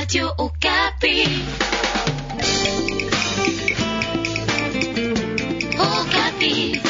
Radio Okapi. Okapi.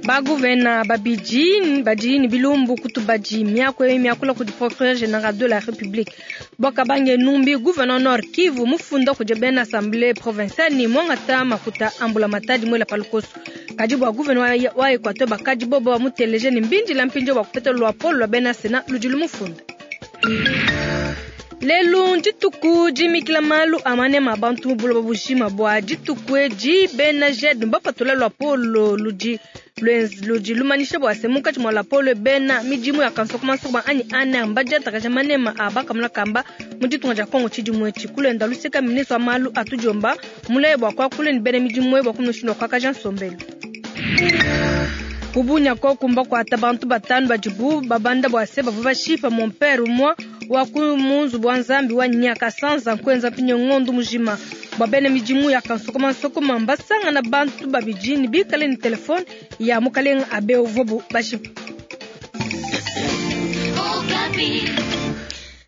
Baguvena babidi badi ne bilumbu ku tubadi miaku eyi miakula kudi procureur general de la Republique bua Kabange Numbi gouverneur Nord Kivu mufunda kudi bena assemblée provinciale ne muangata makuta a mbulamatadi muela pa lukoso. Kadi bua gouverneur wa Equateur bakadi bobo bamuteleje ne mbindila mpindieu bua kupeta luapolo lua bena Senat ludi lumufunda. Lelu ndituku dimikila malu a manema a bantu mu buloba bujima. Bua dituku edi bena JED mbapatula luapolo ludi ludi lumanyisha bua se munkatshi mua luapolo bena midimu ya kansokomansokoma anyi ANR mbadiatakaja manema a bakamuna kamba mu ditunga dia Kongo tshidimu etshi. Kulenda luseka ministre wa malu a tudiomba mulaye bua kuakula ne bena midimu bua kumushindu wa kuakaja nsombelu. Kubunya koku mbakuata bantu batanu badibu babanda bua se bavua bashipa mon père umua wa ku mu nzubu wa Nzambi wa Nyakasanza nkuenza mpinyo ngondu mujima. Bua bena midimu ya kansokomansokoma mbasangana bantu babidi ne bikale ne telefone ya mukalenga abe uvuabu bashipa.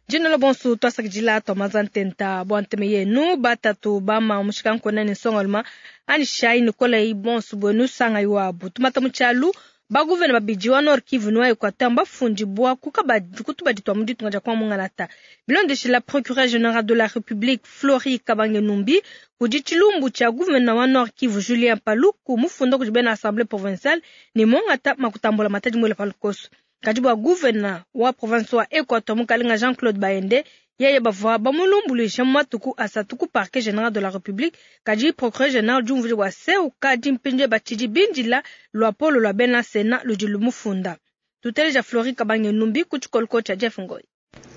Dina la bonsu twasakidila twamaza ntenta bua nteme yenu batatu bama mushikankona ne nsongaluma ani shai nikola yi bonsu buenu sanga iwabu tumata mu tshialu baguvena babidi wa Nord Kivu ne wa Equateur mbafundibua kutubadi twa mu ditunga dia kwa Mungalata. Bilondeshila procureur général de la République Flori Kabange Numbi kudi tshilumbu tshia gouverneur wa Nord Kivu Julien Paluku mufunda kudi bena assemblée provinciale ne mongata makutambula matadi mwele palukoso. Kadi bua gouverneur wa province wa Equateur mukalenga Jean-Claude Baende yeye bavua bamulumbuluisha mu matuku asatu ku parquet général de la République. Kadi procureur général diumvuija bua se ukadi mpindieu batshidi bindila luapolo lua bena Sénat ludi lumufunda. Tuteleja Flori Kabange Numbi ku tshikoloko tshia Jeff Ngoy.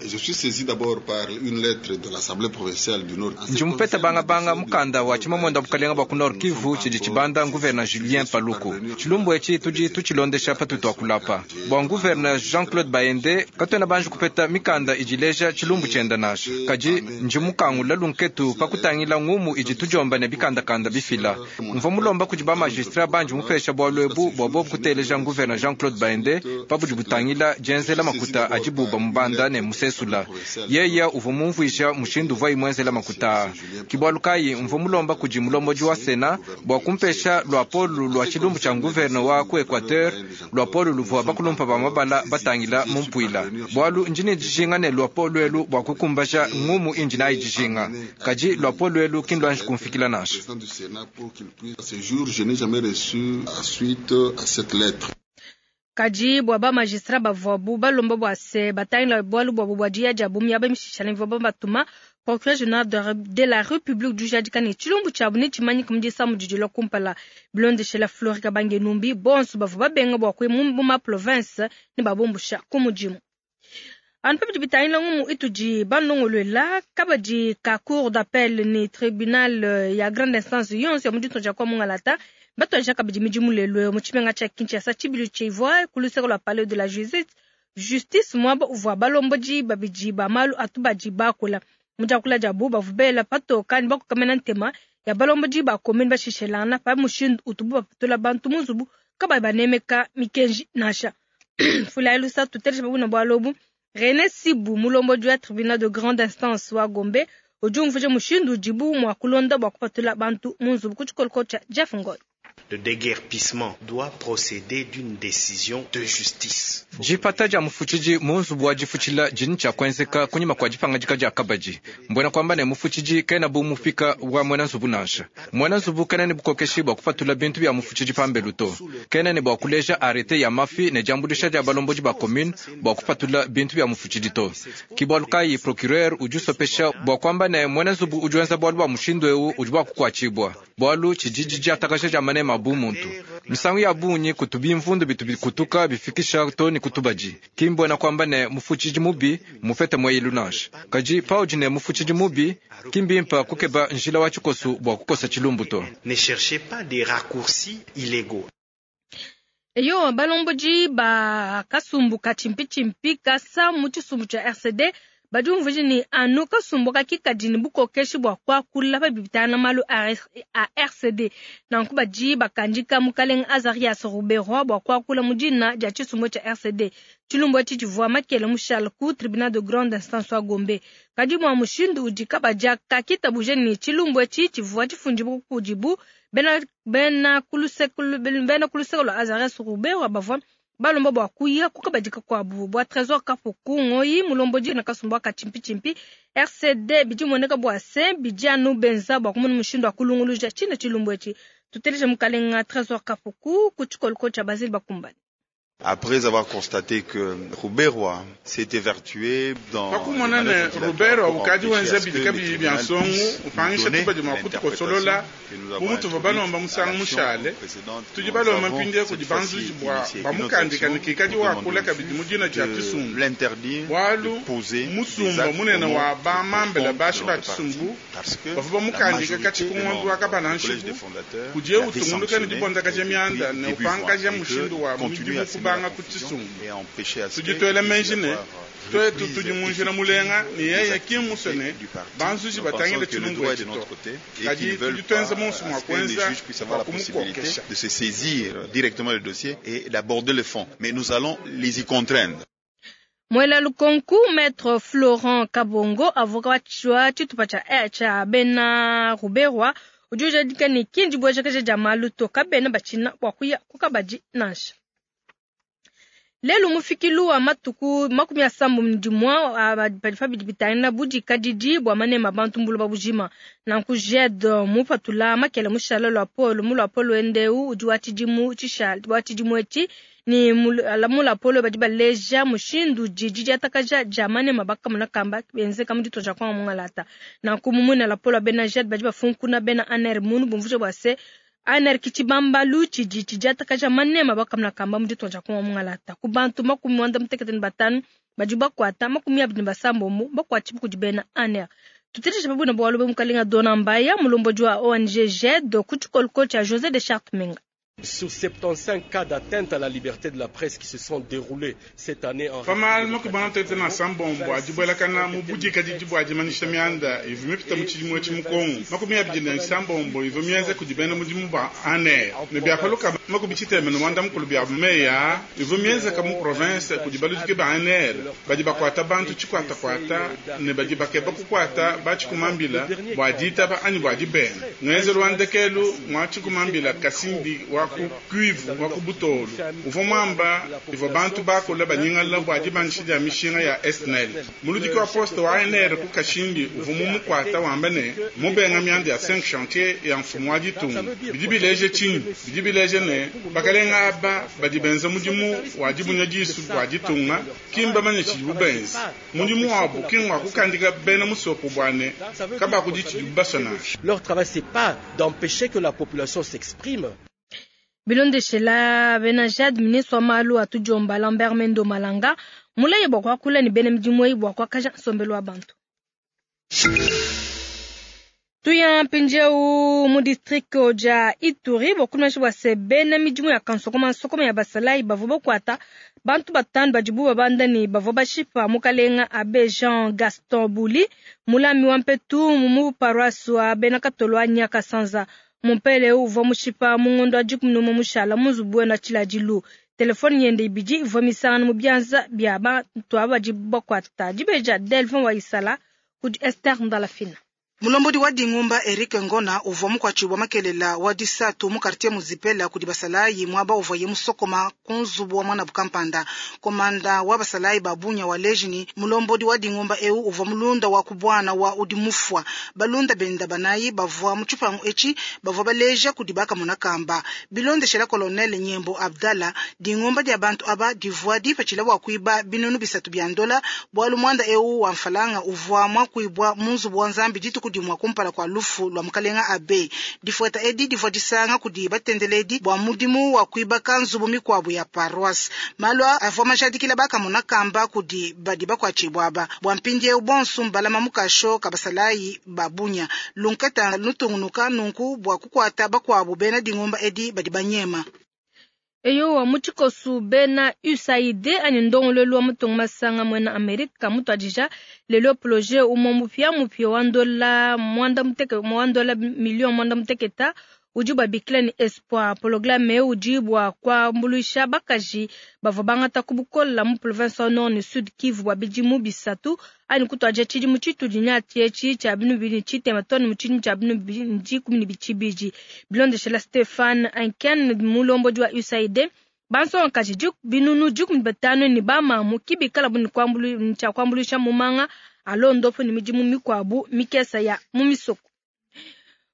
Je suis saisi d'abord par une lettre de l'Assemblée provinciale du Nord. Ndi mupeta bangabanga mukanda wa tshimamuenda bukalenga bua ku Nord Kivu tshidi tshibanda gouverneur Julien Paluku. Tshilumbu etshi tudi tutshilondesha patutu akulapa. Bua gouverneur Jean-Claude Baende katuena banji kupeta mikanda idileja tshilumbu tshienda nasha. Kadi ndi mukangula lunketu pa kutangila ngumu idi tudiomba ne bikandakanda bifila. Mvua mulomba kudi ba magistrat banji mupesha bualu ebu bua bobu kuteleja gouverneur Jean-Claude Baende pa budi butangila dienzela makuta adibu bamubanda ne musesula. Yeye uvua mumvuija mushindu uvua imwenzela makuta. Kibualu kayi mvua mulomba kudi mulombodi wa Sena bua kumpesha luapolo lua tshilumbu tshia gouverneur wa ku Equateur, luapolo luvua bakulumpa ba mabala batangila mu mpuila. Bualu ndi ne dijinga ne luapolo elu bua kukumbaja ngumu indi nayi dijinga. Kadi luapolo elu ki nduanji kumfikila nansha. Ce jour, je n'ai jamais reçu la suite à cette lettre. Kadi bua ba magistrat bavuabu balomba bua se batangila bualu buabu bua diya dia bumi aba mishishala mvua batuma procureur général de la République du jadika ne tshilumbu tshiabu ne tshimanyika mu disamu didi lua kumpala. Bilondeshela Flori Kabange Numbi bonso bavua babenga bua kuya mu ma province ne babumbusha ku mudimu. Anu pa bidi bitangila ngumu itudi banongoluela kabadi ka cour d'appel ne tribunal ya grande instance yonso ya mu ditunga dia kwa Mungalata batuadija kabidi midimu lelu mu tshimenga tshia Kinshasa tshibilu tshivua ku luseke lua palais de la justice muaba uvua balombodi babidi ba malu atubadi bakula. Mu diakula diabu bavua bela patoka ne bakokamena ntema ya balombodi ba commune bashishelana pa mushindu utubu bapatula bantu mu nzubu kabayi banemeka mikenji nansha. Fula lusa tuteleja babuna bualu obu. René Sibu mulombodi wa tribunal de grande instance wa Gombe udi umvuija mushindu udibu mua kulonda bua kupatula bantu mu nzubu ku tshikoloko tshia Jeff Ngoy. Le déguerpissement doit procéder d'une décision de justice. Dipata dia mufutshidi mu nzubu wa difutshila dini tshia kuenzeka kunyima kua dipangadika dia kabadi. Mbwena kuamba ne mufutshidi kena bu mupika wa muena nzubu nansha. Muena nzubu kena ne bukokeshi bua kupatula bintu bia mufutshidi pambelu to. Kena ne bua kuleja arrêté ya mafi ne diambuluisha dia balombodi ba commune bua kupatula bintu bia mufutshidi to. Kibualu kayi procureur udi usopesha bua kuamba ne muena nzubu udi wenza bualu bua mushindu eu udi bua kukuatshibua. Bualu tshididi diatakaja dia manema bu muntu. Misangu ya bungi kutubi mvundu bitu bikutuka bifikisha to ne kutubadi. Kimbwena kuamba ne mufutshidi mubi mupete mweyilu nansha. Kadi paudi ne mufutshidi mubi kimbimpa kukeba njila wa tshikosu bua kukosa tshilumbu to. Ne cherchez pas des raccourcis illégaux. Eyo balombodi ba kasumbu ka chimpi chimpi kasa mu tshisumbu tshia RCD Badi bumvuija ne, anu kasumbu aka ke kadi ne bukokeshi bua kuakula pa bidi bitangila malu a RCD. Nanku badi bakandika mukalenga Azarias Ruberwa bua kuakula mu dina dia tshisumbu tshia RCD. Tshilumbu etshi tshivua makele mushale ku tribunal de grande instance wa Gombe. Kadi bua mushindu udi kabadi aka kitabuja ne, tshilumbu etshi tshivua tshifundibua kudibu, bena bena ku luseke lua Azarias Ruberwa bavua balomba bua kuya ku kabadi kakuabu. Bua Tresor Kapuku Ngoyi, mulombodi na kasumbu aka tshimpitshimpi RCD, bidi bimueneka bua se bidi anu benza bua kumona mushindu wa kulunguluja tshine tshilumbu etshi. Tuteleje mukalenga Tresor Kapuku ku tshikoloko tshia Basile Bakumbane. Après avoir constaté que Ruberwa s'est évertué dans Pa kumona ne, Ruberwa ukadi wenza bidi kabiyi bia nsongo, upangisha tubadi mua kutukosolola bu mutuvua balomba musangu mushale, tudi balomba mpindieu kudi banzuji bua bamukandika ne kikadi wakula kabidi mu dina dia tshisumbu, bualu musumba munene wa ba mambela bashi ba tshisumbu bavua bamukandika katshia ku ngondo wa kabala-nshiku kudiye utungunuka ne dibondakaja mianda ne upangaja mushindu wa midimu kubanga ku tshisumbu. Tudi tuela meji ne, tuetu tudi mu njila mulenga ne yeye ki mmusue ne, banzuji batangile tshilumbu etshi to. Kadi tudi tuenza monso mua kuenza bua kumukokesha. de se saisir directement le dossier et d'aborder le fond. Mais nous allons les y contraindre. Muela lukonku Maître Florent Kabongo, avocat wa tshitupa tshia bena Ruberwa, udi ujadika ne, ki ndibuejakaja dia malu to, kabena batshina bua kuya ku kabadi nansha. Lelu mufikilu wa matuku 31 padi pa bidi bitangila budikadidi bua manema bantu mu buloba bujima. Nanku JED mupatula makela mushala luapolo mu luapolo wende eu udi wa tshidimu tshishala wa tshidimu etshi, ne mu luapolo badi baleja mushindu udi didiatakaja dia manema bakamona kamba benzeka mu ditunga dia Kongo mungalata. Nanku mu muina luapolo wa bena JED badi bafunkuna bena ANR munu bumvuija bua se ANR ke tshibambalu tshidi tshidiatakaja manema bakamona kamba mu ditunga dia Kongo mungalata. Ku bantu 95 badi bakuata, 26 bakuatshibua kudi bena ANR. Tuteleje pa bualu bua mukalenga Dona Mbaya, mulombodi wa ONG JED, ku tshikoloko tshia José de Charte Menga. Sur 75 cas d'atteinte à la liberté de la presse qui se sont déroulés cette année en Pa malu 96 a dibuelakana mu budikadidi bua dimanyisha mianda ivua mipite mu tshidimu etshi mu Kongo, 26 ivua mienza kudi bena mudimu ba ANR, ne bia pa lukama 74 bia meyi aa ivua mienzeka mu province kudi baludiki ba ANR badi bakuata bantu tshikuatakuata ne badi bakeba kukuata batshikumambila bua ditaba anyi bua dibenga. Ngenzelu wa ndekelu ngua tshikumambila Kasindi wa ku Kivu wa ku Butolu uvua muamba ivua bantu bakula banyingala bua dibandisha dia mishinga ya SNEL. Muludiki wa poste wa ANR ku Kasindi uvua mumukuata wamba ne mubenga mianda ya 5 chantier ya mfumu wa ditunga. Bidi bileja tshinyi? Bidi bileja ne bakalenga aba badi benza mudimu wa dibunya disu bua ditunga ki mbamanye tshidibu benza. Mudimu wabu ki ngua kukandika bena musoko bua ne kabakudi tshidibu basue nansha. Leur travail, c'est pas d'empêcher que la population s'exprime. Bilondeshela bena JAD, ministre wa malu a tudiomba Lambert Mendo Malanga mulaye bua kuakula ne bena midimu eyi bua kuakaja nsombelu wa bantu. Tuya mpindieu mu district dia Ituri bua kumanyisha bua se bena midimu ya kansokoma nsokoma ya basalayi bavua bakuata bantu batanu badibu babanda ne bavua bashipa mukalenga Abe Jean Gaston Buli, mulami wa mpetu mu paroisse wa bena Katolo wa Nyakasanza. Mumpele uvua mushipa mu ngondo wa 11 mushala mu nzubu wenda tshiladilu. Telefone yende ibidi ivua misangana mu bianza bia bantu aba badi bakuata. Dibeja Delvin wa Isala kudi Esther Ndalafina. Mulombodi wa dingumba Eric Ngona uvua mukuatshibua makelela wa disatu mu quartier Muzipela kudi basalayi muaba uvuaye musokoma ku nzubu wa mwana kampanda. Komanda wa basalayi ba bunya wa lejini mulombodi wa dingumba eu uvua mulunda wa kubwana wa udi mufua. Balunda benda banayi bavua mu tshipangu etshi bavua baleja kudi bakamona kamba. Bilondeshela colonel Nyembo Abdallah, dingumba dia bantu aba divua dipatshila bua kuiba binunu 3 bia ndola bualu mwanda eu wa mfalanga uvua mwa kuibwa mu nzubu wa Nzambi dituku dimwa kumpala kwa lufu lwa mukalenga Abe. Difueta edi divua disanga kudi batendeledi bua mudimu wa kuibaka nzubu mikuabu ya paroisse. Malu avua majadikila bakamona kamba kudi badi bakuatshibua aba. Bua mpindieu bonso mbalama mukasho kabasalayi babunya. Lunketa lutungunuka nunku bua kukuata bakuabu bena dingumba edi badi banyema. Eyowa, mu tshikosu bena USAID anyi ndongoluelu wa matunga masanga muena Amerika mutuadija lelo projet umue mupiamupia wa ndola muanda muteke wa ndola million muanda muteketa udi babikila ne Espoir. Programme eu udi bua kuambuluisha bakaji bavua bangata ku bukola mu province wa Nord ne Sud Kivu bua bidimu bisatu anyi kutuadija tshidimu tshitudi nyati etshi tshia binu bibidi tshitema too ne mu tshidimu tshia binu bibidi dikumi ne bitshibidi. Bilondeshela Stefan Anken mulombodi wa USAID, bansongakaji binunu 15 ne bamamu kibikala bu ne tshia kuambuluisha mu manga a londopo ne midimu mikuabu mikesa ya mu misoko.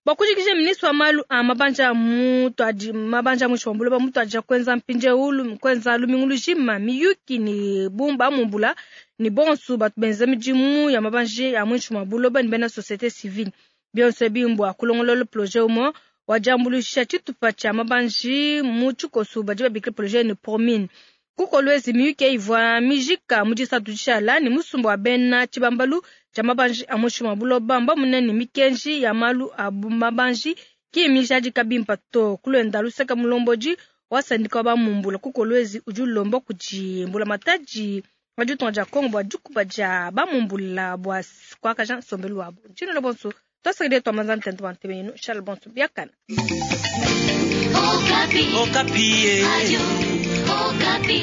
Bua kujikija ministre wa malu a mabanja mutuadi mabanja muinshi mua buloba mutuadija kuenza mpindieu kuenza lumingu lujima miyuki ne bumba mumbula ne bonso batu benza midimu ya mabanji a muinshi mua buloba ne bena société civile. Bionso ebi mbua kulongolola projet umue wa diambuluisha tshitupa tshia mabanji mu tshikoso badi babikila projet ne Promine. Kukolwezi miyuki ivua mijika mu disatu dishala ne musumba wa bena tshibambalu tshia mabanji a muinshi mua buloba mbamune ne mikenji ya malu a mabanji ki mijadika bimpa to. Kulwenda luseka mulombodi wa sandika wa bamumbula kukolwezi udi ulomba kudi mbulamatadi wa ditunga dia Kongo bua dikuba dia bamumbula bua kuakaja nsombelu wabu. Ntshino bonso twasakidile twamanza ntente wa ntebe yenu Charles bonso biakana. Okapi. Okapi. Radio Okapi.